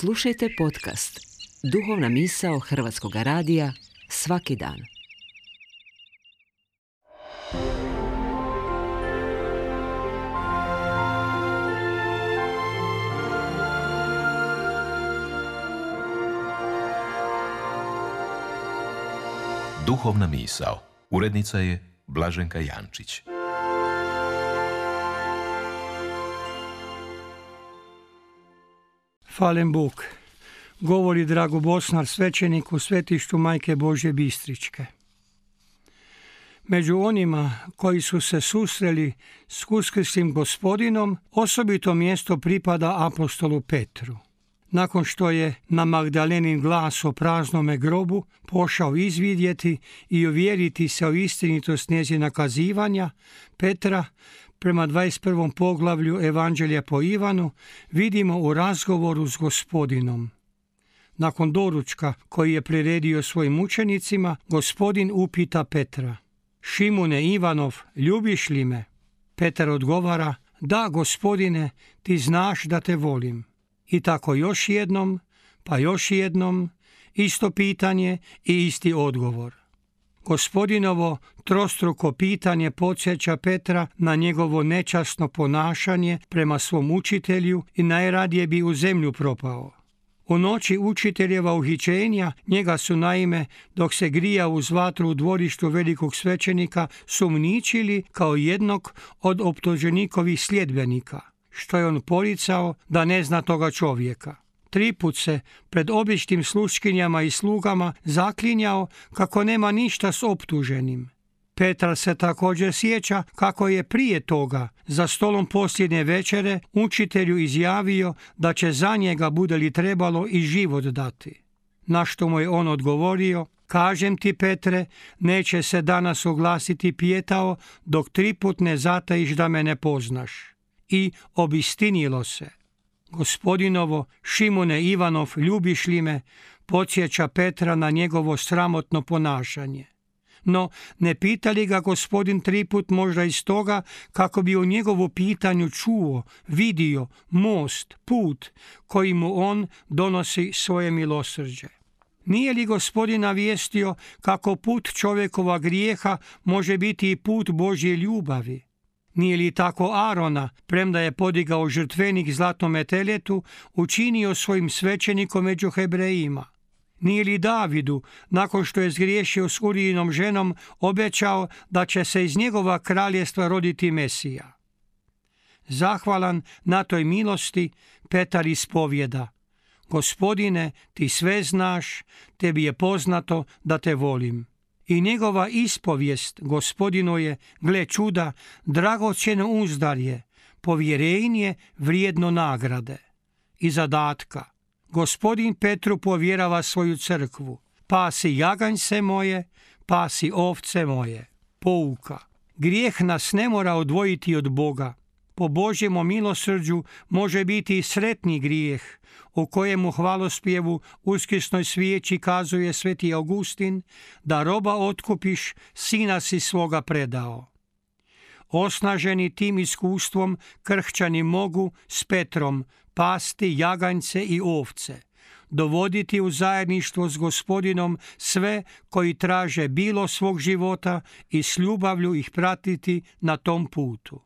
Slušajte podcast Duhovna misao Hrvatskog radija svaki dan. Duhovna misao. Urednica je Blaženka Jančić. Falen Bog, govori Drago Bosnar, svećenik u svetištu Majke Božje Bistričke. Među onima koji su se susreli s uskrslim Gospodinom, osobito mjesto pripada apostolu Petru. Nakon što je na Magdalenin glas o praznome grobu pošao izvidjeti i uvjeriti se o istinitost njezina kazivanja, Petra, prema 21. poglavlju Evanđelja po Ivanu, vidimo u razgovoru s Gospodinom. Nakon doručka koji je priredio svojim učenicima, Gospodin upita Petra: Šimune Ivanov, ljubiš li me? Petar odgovara: Da, Gospodine, ti znaš da te volim. I tako još jednom, pa još jednom, isto pitanje i isti odgovor. Gospodinovo trostruko pitanje podsjeća Petra na njegovo nečasno ponašanje prema svom učitelju i najradije bi u zemlju propao. U noći učiteljeva uhićenja njega su naime, dok se grija uz vatru u dvorištu velikog svećenika, sumnjičili kao jednog od optuženikovih sljedbenika, što je on poricao da ne zna toga čovjeka. 3 put se pred običnim sluškinjama i slugama zaklinjao kako nema ništa s optuženim. Petar se također sjeća kako je prije toga za stolom posljednje večere učitelju izjavio da će za njega, bude li trebalo, i život dati. Na što mu je on odgovorio: Kažem ti, Petre, neće se danas oglasiti pijetao dok 3 put ne zatajiš da me ne poznaš. I obistinilo se. Gospodinovo Šimune Ivanov, ljubiš li me, podsjeća Petra na njegovo sramotno ponašanje. No, ne pita li ga Gospodin 3 put možda iz toga kako bi u njegovu pitanju čuo, vidio most, put koji mu on donosi svoje milosrđe? Nije li Gospodin navijestio kako put čovjekova grijeha može biti i put Božje ljubavi? Nije li tako Arona, premda je podigao žrtvenik zlatnome teletu, učinio svojim svećenikom među Hebrejima? Nije li Davidu, nakon što je zgriješio s Urijinom ženom, obećao da će se iz njegova kraljestva roditi Mesija? Zahvalan na toj milosti, Petar ispovjeda: Gospodine, ti sve znaš, tebi je poznato da te volim. I njegova ispovijest Gospodinu je, gle čuda, dragocjeno uzdarje, povjerenje vrijedno nagrade i zadatka. Gospodin Petru povjerava svoju crkvu: Pasi jaganjce moje, pasi ovce moje. Pouka: grijeh nas ne mora odvojiti od Boga. Po Božjem milosrđu može biti i sretni grijeh, u kojemu hvalospjevu uskrsnoj svijeći kazuje sveti Augustin da roba otkupiš, sina si svoga predao. Osnaženi tim iskustvom, kršćani mogu s Petrom pasti jaganjce i ovce, dovoditi u zajedništvo s Gospodinom sve koji traže bilo svog života i s ljubavlju ih pratiti na tom putu.